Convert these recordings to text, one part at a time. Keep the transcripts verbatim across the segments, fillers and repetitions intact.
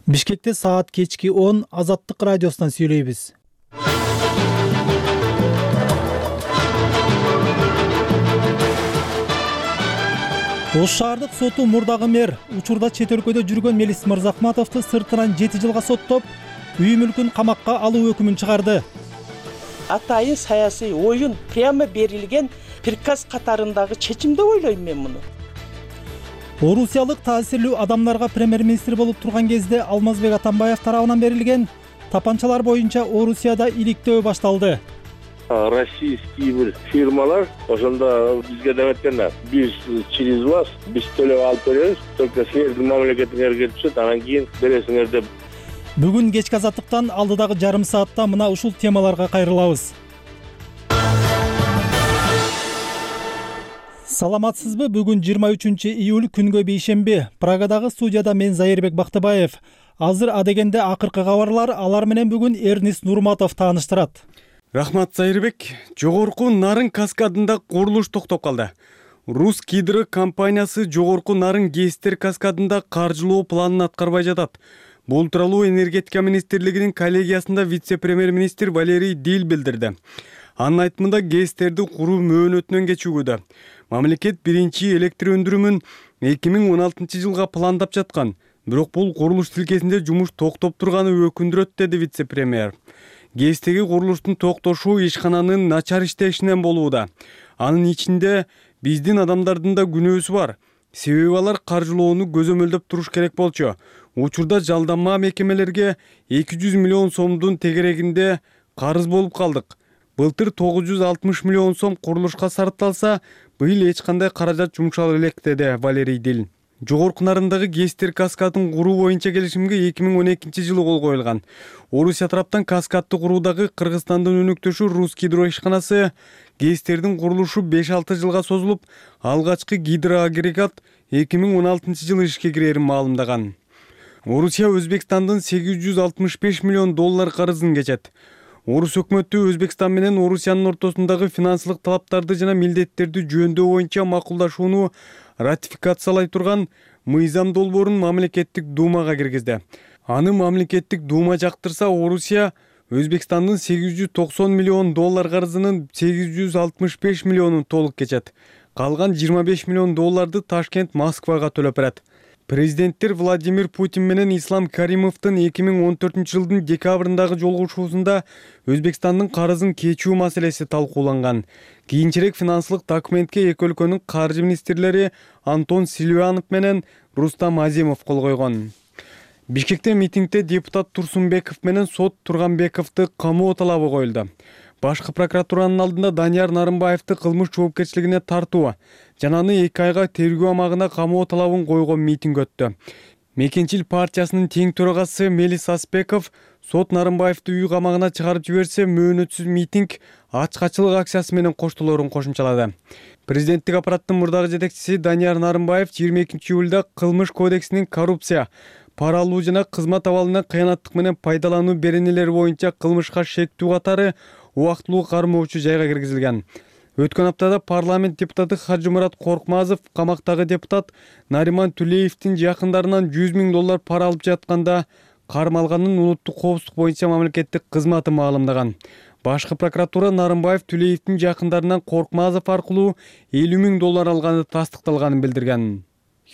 Бишкекте саат кечки он Азаттык радиосунан сүйлөйбүз. Ош шаардык соту мурдагы мэр учурда чет өлкөдө жүргөн Мелис Мырзахматовду сыртынан жети жылга соттоп, үй мүлкүн камакка алуу өкүмүн чыгарды. Атайын саясий оюн прямо берилген приказ катарындагы чечим деп ойлойм мен муну. Орусиялык таасирлүү адамдарга премьер-министр болуп турган кезде Алмазбек Атамбаев тарабынан берилген тапанчалар боюнча Орусияда иликтөө башталды. Российский бир фирмалар ошондо бизге деп айтканда, биз через вас биз төлөп алып беребиз, только силердин мамлекетиңерге түшөт, анан кийин бересиңер деп. Бүгүн кечки Азаттыктан алдыдагы жарым саатта мына ушул темаларга кайрылабыз. Саламатсызбы? Бүгүн жыйырма үчүнчү июль күнгө бейшемби. Прагадагы студияда мен Зайырбек Бактыбаев. Азыр адегенде акыркы кабарлар, алар менен бүгүн Эрнис Нурматов тааныштырат. Рахмат, Зайырбек. Жогорку Нарын каскадында курулуш токтоп калды. Рус Гидро компаниясы Жогорку Нарын ГЭСтер каскадында каржылоо планын аткарбай жатат. Бул тууралуу энергетика министрлигинин коллегиясында вице-премьер-министр Валерий Диль билдирди. Анын айтымында ГЭСтерди куруу мөөнөтүнөн кечүүгүдө. Мамлекет биринчи электр өндүрүмүн эки миң он алтынчы жылга пландап жаткан. Бирок бул курулуш тилкесинде жумуш токтоп турганы өкүндүрөт, деди вице-премьер. ГЭСтеги курулуштун токтошу ишкананын начар иштешинен болууда. Анын ичинде биздин адамдардын да күнөөсү бар. Себеби алар каржылоону көзөмөлдөп туруш керек болчу. Учурда жалданма мекемелерге эки жүз миллион сомдун тегерегинде карыз болуп калдык. Былтыр тогуз жүз алтымыш миллион сом курулушка сарпталса, быйыл эч кандай каражат жумшала элек, деди Валерий Диль. Жогорку Нарындагы ГЭСтер каскадын куруу боюнча келишимге эки миң он экинчи жылы кол коюлган. Орусия тараптан каскадты куруудагы Кыргызстандын өнөктөшү Рус Гидро ишканасы ГЭСтердин курулушу беш алты жылга созулуп, алгачкы гидроагрегат эки миң он алтынчы жылы ишке кирерин маалымдаган. Орусия Өзбекстандын сегиз жүз алтымыш беш миллион доллар карызын кечет. Орус өкмөтү Өзбекстан менен Орусиянын ортосундагы финансылык талаптарды жана милдеттерди жөөндөө боюнча макулдашууну ратификациялай турган мыйзам долбоорун мамлекеттик думага киргизди. Аны мамлекеттик дума жактырса, Орусия Өзбекстандын сегиз жүз токсон миллион доллар карызынын сегиз жүз алтымыш беш миллионун толук кечет. Калган жыйырма беш миллион долларды Ташкент Москвага төлөп берет. Президенттер Владимир Путин менен Ислам Каримовдун эки миң он төртүнчү жылдын декабрындагы жолугушуусунда Өзбекстандын карызын кечүү маселеси талкууланган. Кийинчерээк финансылык документке эки өлкөнүн каржы министрлери Антон Силуянов менен Рустам Азимов кол койгон. Бишкекте митингде депутат Турсунбеков менен сот Турганбековду камоо талабы коюлду. Башкы прокуратуранын алдында Данияр Нарымбаевди кылмыш жоопкерчилигине тартуу жана аны эки айга тергөө амагына камоо талабын койгон митинг өттү. Мекенчил партиясынын тең төрагасы Мелис Аспеков сот Нарымбаевди үй камагына чыгарып жиберсе, мөөнөтсүз митинг ачкачылык акциясы менен коштолорун кошумчалады. Президенттик аппараттын мурдагы жетекчиси Данияр Нарымбаев жыйырма экинчи июлда кылмыш кодексинин коррупция, пара алуу жана кызмат абалынан кыянаттык менен пайдалануу беренелери боюнча кылмышка шектүү катары убактылуу кармоочу жайга киргизилген. Өткөн аптада парламент депутаты Хажымурат Коркмазов камактагы депутат Нариман Түлеевдин жакындарынан жүз миң доллар пара алып жатканда кармалганын улуттук коопсуздук боюнча мамлекеттик кызматы маалымдаган. Башкы прокуратура Нарымбаев Түлеевдин жакындарынан Коркмазов аркылуу элүү миң доллар алганы тастыкталганын билдирген.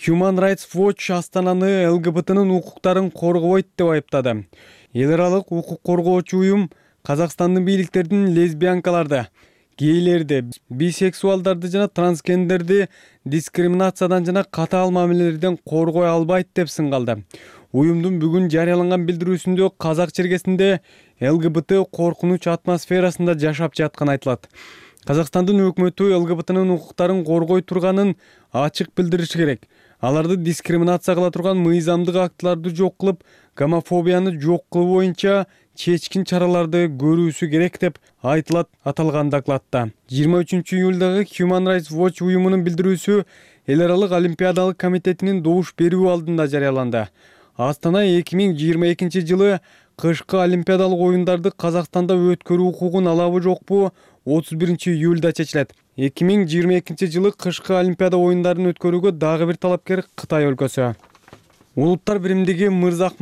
Human Rights Watch Астананы ЛГБТнын укуктарын коргобойт деп айыптады. Эл аралык укук коргоочу уюм Казакстандын бийликтердин лесбиянкаларды, гейлерди, бисексуалдарды жана трансгендерди дискриминациядан жана катаал мамилелерден коргой албайт деп сынгалды. Уюмдун бүгүн жарыяланган билдирүүсүндө Казак чергесинде ЛГБТ коркунуч атмосферасында жашап жатканы айтылат. Казакстандын өкмөтү ЛГБТнын укуктарын коргой турганын ачык билдириши керек. Аларды дискриминация кыла турган мыйзамдык актыларды жок кылып, гомофобияны жок кылуу боюнча чечкин чараларды көрүүсү керек деп айтылат аталган докладта. жыйырма үчүнчү июлдагы Human Rights Watch уюмунун билдирүүсү Эл аралык олимпиадалык комитетинин добуш берүү алдында жарыяланды. Астана эки миң жыйырма экинчи жылы кышкы олимпиадалык оюндарды Казакстанда өткөрүү укугун алабы жокпу отуз биринчи июлда чечилет. эки миң жыйырма экинчи жылы кышкы олимпиада оюндарын өткөрүүгө дагы бир талапкер Кытай өлкөсү. Улуттар биримдиги Мырзахматов